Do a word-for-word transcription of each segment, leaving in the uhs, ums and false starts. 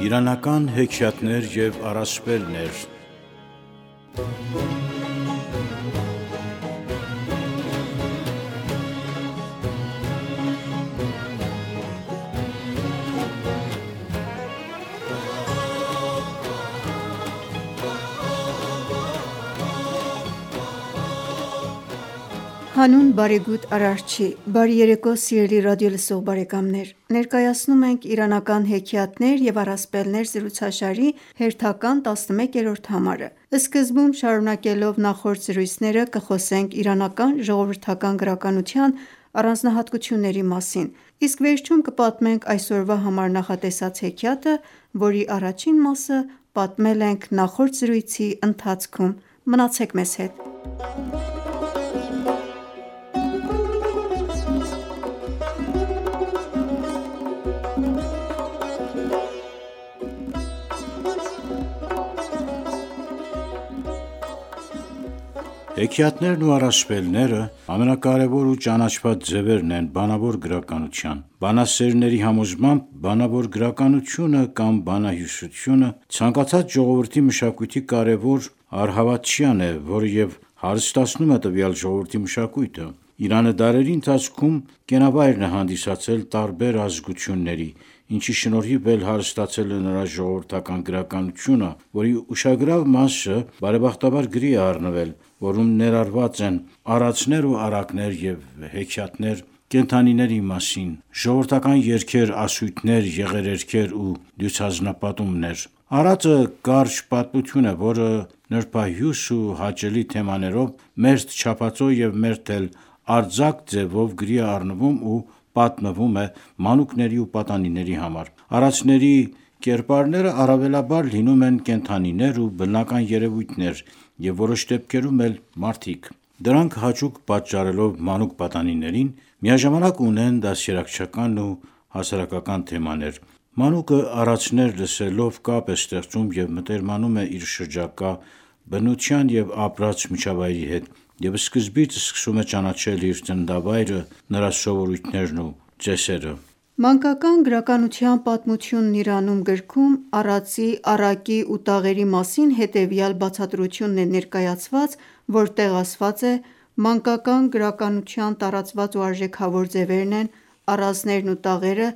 Իրանական հեքիաթներ և առասպելներ։ Հանուն բարեգութ Արարչի, բարի երեկո սիրելի ռադիոլսող բարեկամներ: Ներկայացնում ենք «Իրանական հեքիաթներ և առասպելներ» զրուցաշարի հերթական տասնմեկերորդ համարը: Սկզբում շարունակելով նախորդ զրույցները կխոսենք իրանական ժողովրդական գրականության առանձնահատկությունների մասին, իսկ վերջում կպատմենք այսօրվա համար նախատեսած հեքիաթը, որի առաջին մասը պատմել ենք նախորդ զրույցի ընթացքում: Մնացեք մեզ հետ: Հեքիաթներն ու առասպելները ամենակարևոր ու ճանաչված ձևերն են բանավոր գրականության: Բանասերների համոզմամբ բանավոր գրականությունը կամ բանահյուսությունը ցանկացած ժողովրդի մշակույթի կարևոր առհավատչյան է, որը և հարստացնում է տվյալ ժողովրդի մշակույթը: Իրանը դարերի ընթացքում կենավայրն է հանդիսացել տարբեր ազգությունների, ինչի շնորհիվ էլ հարստացել է նրա ժողովրդական գրականությունը, որի ուշագրավ մասը բարեբախտաբար գրի է առնվել, որում ներառված են արածներ ու առակներ և հեքիաթներ կենդանիների մասին, ժողովրդական երգեր, ասույթներ, եղերերքեր ու դյուցազնապատումներ: Արածը կարճ պատմություն է, որը նրբահյուս ու հաճելի թեմաներով մերթ չափածո և մերթ էլ արձակ ձևով գրի է առնվում ու պատմվում է մանուկների ու պատանիների համար: Արածների կերպարները առավելաբար լինում են կենդանիներ ու բնական երևույթներ և որոշ դեպքերում էլ մարդիկ: Դրանք հաճույք պատճառելով մանուկ պատանիներին, միաժամանակ ունեն դաստիարակչական ու հասարակական թեմաներ: Մանուկը արածներ լսելով կապ է ստեղծում և մտերմանում է իր շրջակա բնության և ապրած միջավայրի հետ և սկզբից սկսում է ճանաչել իր ծննդավայրը, նրա սովորույթներն ու ծեսերը: «Մանկական գրականության պատմությունն Իրանում» գրքում արածի, առակի ու տաղերի մասին հետևյալ բացատրությունն է ներկայացված, որտեղ ասված է. «Մանկական գրականության տարածված ու արժեքավոր ձևերն են առածներն ու տաղերը,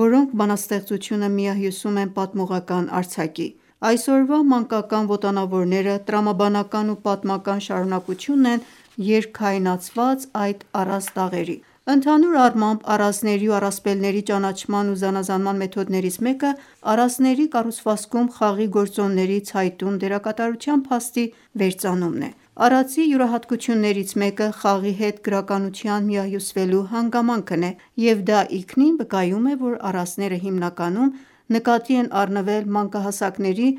որոնք բանաստեղծությունը միահյուսում են պատմողական արձակի: Այսօրվա մանկական ոտանավորները տրամաբանական ու պատմական շարունակությունն են երգքայնացված այդ առած տաղերի: Ընդհանուր առմամբ առածների ու առասպելների ճանաչման ու զանազանման մեթոդներից մեկը առածների կառուցվածքում խաղի գործոնների ցայտուն դերակատարության փաստի վերծանումն է: Առածի յուրահատկություններից մեկը խաղի հետ գրականության միահյուսվելու հանգամանքն է և դա ինքնին վկայում է, որ առածները հիմնականում նկատի են առնվել մանկահասակների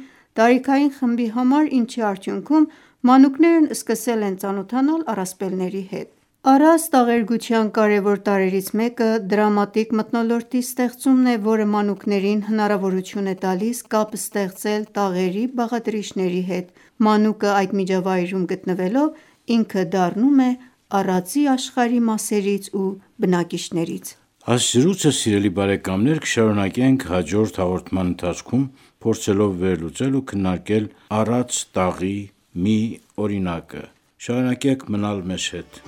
տարիքային խմբի համար, ինչի արդյունքում մանուկներն սկսել են ծանոթանալ առասպելների հետ: Առած տաղերգության կարևոր տարրերից մեկը դրամատիկ մթնոլորտի ստեղծումն է, որը մանուկներին հնարավորություն է տալիս կապ ստեղծել տաղերի բաղադրիչների հետ: Մանուկը այդ միջավայրում գտնվելով ինքը դառնում է առածի աշխարհի մասերից ու բնակիչներից: Այս զրույցը սիրելի բարեկամներ կշարունակենք հաջորդ հաղորդման ընթացքում փորձելով վերլուծել ու քննարկել առած տաղի մի օրինակը: Շարունակեք մնալ մեզ հետ: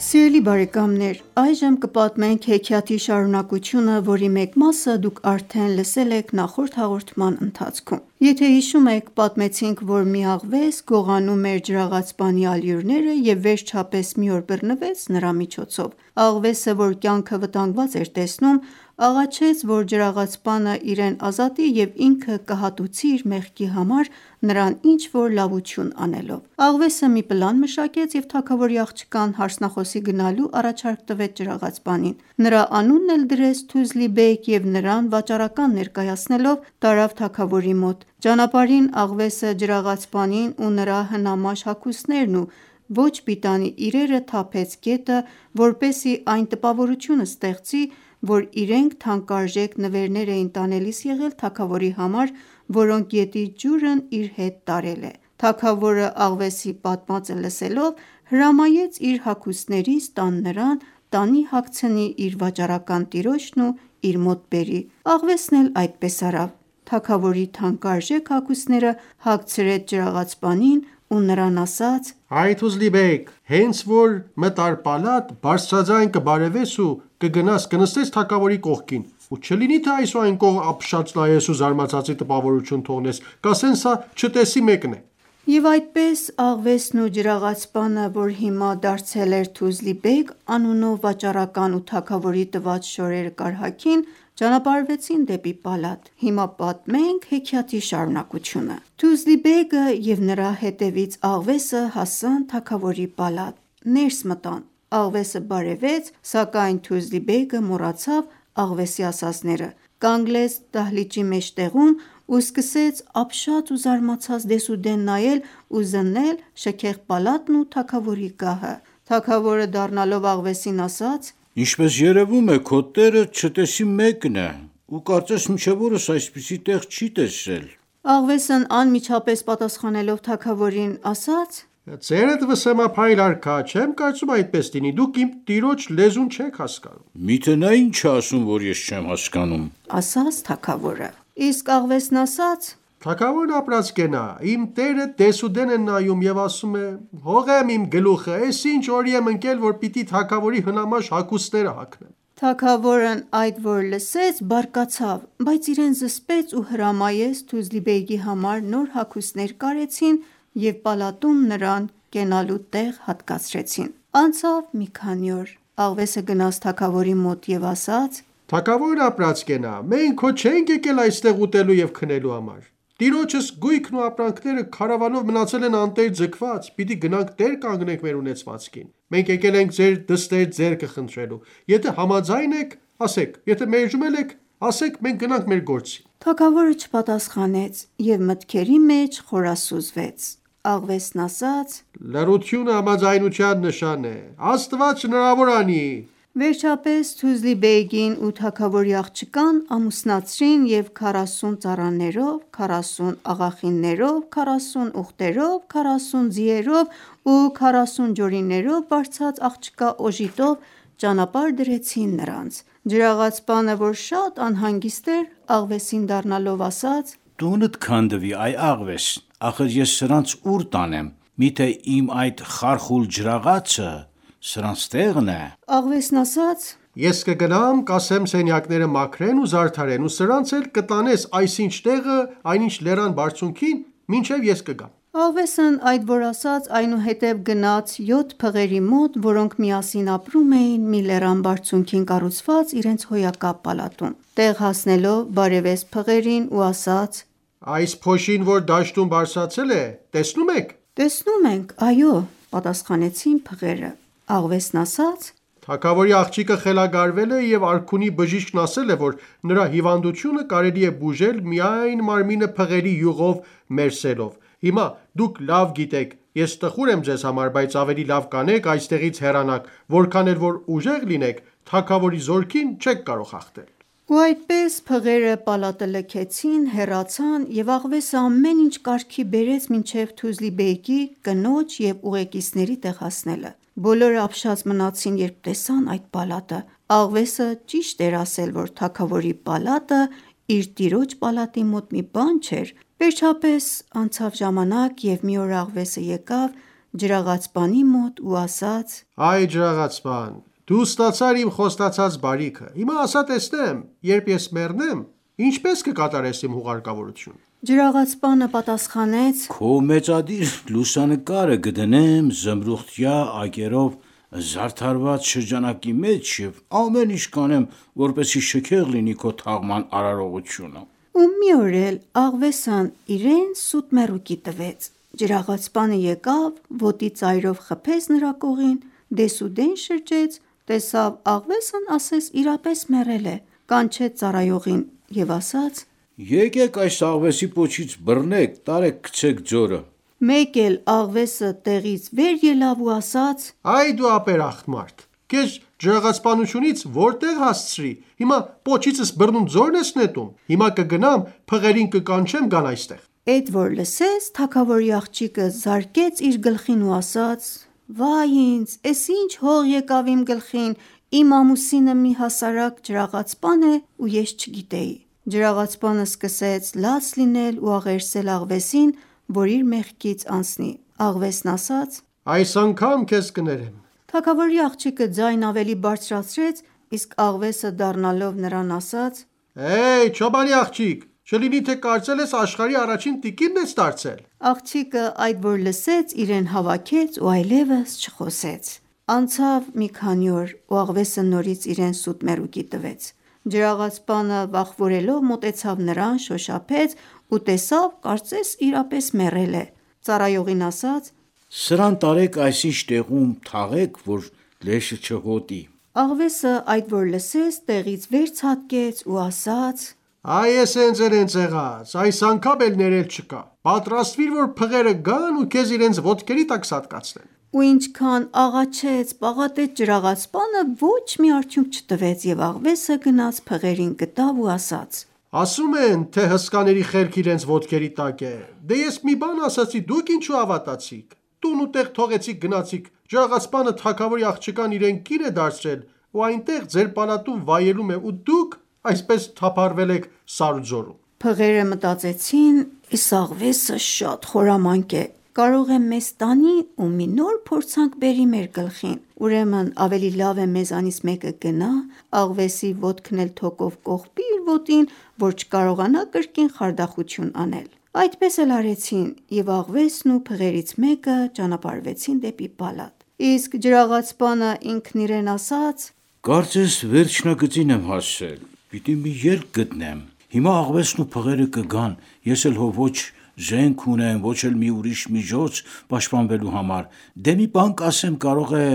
Սիրելի բարեկամներ այժմ կպատմենք հեքիաթի շարունակությունը, որի մեկ մասը դուք արդեն լսել եք նախորդ հաղորդման ընթացքում: Եթե հիշում եք, պատմեցինք, որ մի աղվես գողանում էր ջրաղացպանի ալյուրները և վերջապես մի օր բռնվեց նրա միջոցով: Աղվեսը, որ կյանքը վտանգված էր տեսնում, աղաչեց, որ ջրաղացպանը իրեն ազատի և ինքը կհատուցի իր մեղքի համար նրան ինչ-որ լավություն անելով: Աղվեսը մի պլան մշակեց և թագավորի աղջկան հարսնախոսի գնալու առաջարկ տվեց ջրաղացպանին: Նրա անունն էլ դրեց Թուզլի-բեգ և նրան վաճառական ներկայացնելով տարավ թագավորի մոտ: Ճանապարհին Աղվեսը ջրաղացպանին ու նրա հնամաշ հագուստներն ու ոչ պիտանի իրերը թափեց գետը, որպեսզի այն տպավորությունը ստեղծի, որ իրենք թանկարժեք նվերներ էին տանելիս եղել թագավորի համար, որոնք գետի ջուրն իր հետ տարել է: Թագավորը Աղվեսի պատմածը լսելով հրամայեց իր հագուստներից տան նրան, տանի հագցնի իր վաճառական տիրոջն ու իր մոտ բերի: Աղվեսն էլ այդպես արավ: Թագավորի թանկարժեք հագուստները հագցրեց ջրաղացպանին ու նրան ասաց. «Հայ Թուզլի-բեգ, հենց որ մտար պալատ, բարձրաձայն կբարևես ու կգնաս կնստես թագավորի կողքին ու չլինի թե այս ու այն կողմ ապշած նայես ու զարմացածի տպավորություն թողնես, կասեն սա չտեսի մեկն է»: Եվ այդպես Աղվեսն ու ջրաղացպանը, որ հիմա դարձել էր Թուզլի-բեգ անունով վաճառական ու թագավորի տված շորերը կարհագին, ճանապարհվեցին դեպի պալատ: Հիմա պատմենք հեքիաթի շարունակությունը: Թուզլի-բեգը և նրա հետևից Աղվեսը հասան թագավորի պալատ: Ներս մտան: Աղվեսը բարևեց, սակայն Թուզլի-բեգը մոռացավ Աղվեսի ասածները, կանգնեց դահլիճի մեջտեղում ու սկսեց ապշած ու զարմացած դեսուդեն նայել ու զննել շքեղ պալատն ու թագավորի գահը: Թագավորը դառնալով Աղվեսին ասաց. «Ինչպես երևում է քո տերը չտեսի մեկն է ու կարծես մինչև օրս այսպիսի տեղ չի տեսել»: Աղվեսն անմիջապես պատասխանելով թագավորին ասաց. «Ձերդ վսեմափայլ արքա, չեմ կարծում այդպես լինի, դուք իմ տիրոջ լեզուն չեք հասկանում»: «Միթե նա ինչ է ասում, որ ես չեմ հասկանում»: ասաց թագավորը: Իսկ Աղվեսն ասաց. «Թագավորն ապրած կենա, իմ տերը դեսուդեն է նայում և ասում է. հողեմ իմ գլուխը, էս ինչ օրի եմ ընկել, որ պիտի թագավորի հնամաշ հագուստները հագնեմ»: Թագավորն այդ որ լսեց բարկացավ, բայց իրեն զսպեց ու հրամայեց Թուզլի-բեգի համար նոր հագուստներ կարեցին և պալատում նրան կենալու տեղ հատկացրեցին: Անցավ մի քանի օր: Աղվեսը գնաց թագավորի մոտ և ասաց. «Թագավորն ապրած կենա, մենք քո չենք եկել այստեղ ուտելու և քնելու համար: Տիրոջս գույքն ու ապրանքները քարավանով մնացել են անտեր ձգված, պիտի գնանք տեր կանգնենք մեր ունեցվածքին: Մենք եկել ենք ձեր դստեր ձեռքը խնդրելու: Եթե համաձայն եք, ասեք, եթե մերժում եք, ասեք մենք գնանք մեր գործին»: Թագավորը չպատասխանեց և մտքերի մեջ խորասուզվեց: Աղվեսն ասաց. «Լռությունը համաձայնության նշան է: Աստված հնարավոր անի»: Վերջապես Թուզլի-բեգին ու թագավորի աղջկան ամուսնացրին և քառասուն ծառաներով, քառասուն աղախիններով, քառասուն ուղտերով, քառասուն ձիերով ու քառասուն ջորիներով բարձած աղջկա օժիտով ճանապարհ դրեցին նրանց: Ջրաղացպանը, որ շատ անհանգիստ էր, Աղվեսին դառնալով ասաց. «Տունդ քանդվի այ Աղվես, ախր ես սրանց ուր տանեմ: Միթե իմ այդ խարխուլ ջրաղացը սրանց տեղն է»: Աղվեսն ասաց. «Ես կգնամ, կասեմ սենյակները մաքրեն ու զարդարեն ու սրանց էլ կտանես այսինչ տեղը, այնինչ լեռան բարձունքին, մինչև ես կգամ»: Աղվեսն այդ որ ասաց այնուհետև գնաց յոթ փղերի մոտ, որոնք միասին ապրում էին մի լեռան բարձունքին կառուցված իրենց հոյակապ պալատում: Տեղ հասնելով բարևեց փղերին ու ասաց. «Այս փոշին, որ դաշտում բարձրացել է, տեսնո՞ւմ եք»: «Տեսնում ենք, այո», պատասխանեցին փղերը: Աղվեսն ասաց. «Թագավորի աղջիկը խելագարվել է և արքունի բժիշկն ասել է, որ նրա հիվանդությունը կարելի է բուժել միայն մարմինը փղերի յուղով մերսելով: Հիմա դուք լավ գիտեք, ես տխուր եմ ձեզ համար, բայց ավելի լավ կանեք այստեղից հեռանաք, որքան էլ որ ուժեղ լինեք, թագավորի զորքին չեք կարող հաղթել»: Ու այդպես փղերը պալատը լքեցին, հեռացան և Աղվեսը ամեն ինչ կարգի բերեց մինչև Թուզլի-բեգի, կնոջ և ուղեկիցների տեղ հասնելը: Բոլորը ապշած մնացին երբ տեսան այդ պալատը: Աղվեսը ճիշտ էր ասել, որ թագավորի պալատը իր տիրոջ պալատի մոտ մի բան չէր: Վերջապես անցավ ժամանակ և մի օր Աղվեսը եկավ ջրաղացպանի մոտ ու ասաց. «Այ ջրաղացպան, դու ստացար իմ խոստացած բարիքը: Հիմա ասա տեսնեմ, երբ ես մեռնեմ, ինչպես կկատարես իմ հուղարկավորությունը»: Ջրաղացպանը պատասխանեց. «Քո մեծադիր լուսանկարը կդնեմ զմրուղտյա այգերով զարդարված շրջանակի մեջ և ամեն ինչ կանեմ, որպեսզի շքեղ լինի քո թաղման արարողությունը»։ Ու մի օր էլ աղվեսն իրեն սուտ մեռուկի տվեց։ Ջրաղացպանը եկավ, ոտի ծայրով խփեց նրա կողին, դեսուդեն շրջեց, տեսավ աղվեսն ասես իրապես մեռել է, կանչեց ծառայողին և ասաց. «Եկեք այս աղվեսի պոչից բռնեք, տարեք գցեք ձորը»։ Մեկ էլ աղվեսը տեղից վեր ելավ ու ասաց. «Այ դու ապերախտ մարդ, քեզ ջրաղացպանությունից որտեղ հասցրի, հիմա պոչիցս բռնում ձորն ես նետում, հիմա կգնամ փղերին կկանչեմ գան այստեղ»։ Էդ որ լսեց, թագավորի աղջիկը զարկեց իր գլխին ու ասաց. «Վայ ինձ, էս ինչ հող եկավ իմ գլխին, իմ ամուսինը մի հասարակ ջրաղացպան է ու ես չգիտեի»։ Ջրաղացպանը սկսեց լաց լինել ու աղերսել աղվեսին, որ իր մեղքից անցնի։ Աղվեսն ասաց. «Այս անգամ քեզ կներեմ»։ Թագավորի աղջիկը ձայն ավելի բարձրացրեց, իսկ աղվեսը դառնալով նրան ասաց. «Հեյ, չոբանի աղջիկ, չլինի թե կարծել ես աշխարհի առաջին տիկինն ես դարձել»։ Աղջիկը այդ որ լսեց, իրեն հավաքեց ու այլևս չխոսեց։ Անցավ մի քանի օր, ու աղվեսը նորից իրեն սուտ մեռուկի տվեց։ Ջրաղացպանը վախվորելով մոտեցավ նրան, շոշափեց ու տեսավ կարծես իրապես մեռել է։ Ծառայողին ասաց. «Սրան տարեք այսինչ տեղում թաղեք, որ լեշը չհոտի»։ Աղվեսը այդ որ լսեց, տեղից վեր ցատկեց ու ասաց. «Այ ես հենց էլ հենց եղած, այս անգամ էլ ներել չկա, պատրաստվիր, որ փղերը գան ու քեզ իրենց ոտքերի տակ սատկացնեն»։ Ու ինչքան աղաչեց, պաղատեց ջրաղացպանը, ոչ մի արդյունք չտվեց, և աղվեսը գնաց փղերին գտավ ու ասաց. «Ասում են, թե հսկաների խելքը իրենց ոտքերի տակ է, դե ես մի բան ասացի, դուք ինչու հավատացիք, տուն ու տեղ թողեցիք գնացիք, ջրաղացպանը թագավորի աղջկան իրեն կին է դարձրել ու այնտեղ ձեր պալատում վայելում է ու դուք այսպես թափառվել եք սար ու ձորում»։ Փղերը մտածեցին. «Այս աղվեսը շատ խորամանկ է, կարող է մեզ տանի ու մի նոր փորձանք բերի մեր գլխին, ուրեմն ավելի լավ է մեզանից մեկը գնա, աղվեսի ոտքն էլ թոկով կողպի իր ոտին, որ չկարողանա կրկին խարդախություն անել»։ Այդպես էլ արեցին, և աղվեսն ու փղերից մեկը ճանապարհվեցին դեպի պալատ։ Իսկ ջրաղացպանը ինքն իրեն ասաց. «Կարծես վերջնագծին եմ հասել, պիտի մի ելք գտնեմ, հիմա աղվեսն ու փղերը կգան, ես էլ հո ոչ զենք ունեմ, ոչ էլ մի ուրիշ միջոց պաշտպանվելու համար, դե մի բան կասեմ, կարող է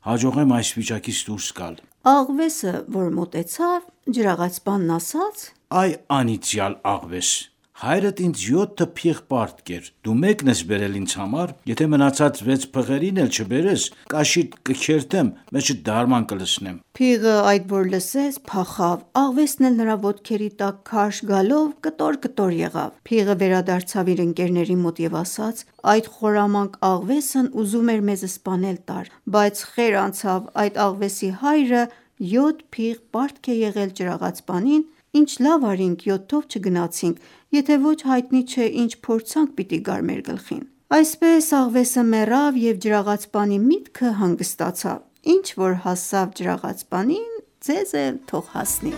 հաջողեմ այս վիճակից դուրս գալ»։ Աղվեսը որ մոտեցավ, ջրաղացպանն ասաց. «Այ անիծյալ աղվես, հայրդ ինձ յոթ փիղ պարտք էր, դու մեկն ես բերել ինձ համար, եթե մնացած վեց փղերին էլ չբերես, կաշիդ կքերթեմ, մեջդ դարման կլցնեմ»։ Փիղը այդ որ լսեց, փախավ, աղվեսն էլ նրա ոտքերի տակ քարշ գալով կտոր-կտոր եղավ։ Փիղը վերադարձավ իր ընկերների մոտ և ասաց. «Այդ խորամանկ աղվեսն ուզում էր մեզ սպանել տար, բայց խեր անցավ, այդ աղվեսի հայրը յոթ փիղ պարտք է եղել ջրաղացպանին, ինչ լավ արինք յոթով չգնացինք, եթե ոչ հայտնի չէ ինչ փորձանք պիտի գար մեր գլխին»։ Այսպես աղվեսը մեռավ և ջրաղացպանի միտքը հանգստացավ։ Ինչ որ հասավ ջրաղացպանին, ձեզ էլ թող հասնի։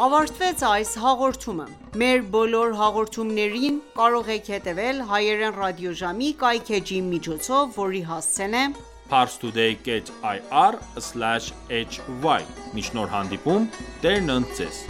Ավարտվեց այս հաղորդումը։ Մեր բոլոր հաղորդումներին կարող եք հետևել հայերեն ռադիոժամի կայքէջի միջոցով, որի հասցեն է parstoday dot ir slash hy։ Մինչ նոր հանդիպում, Տերն ընդ ձեզ։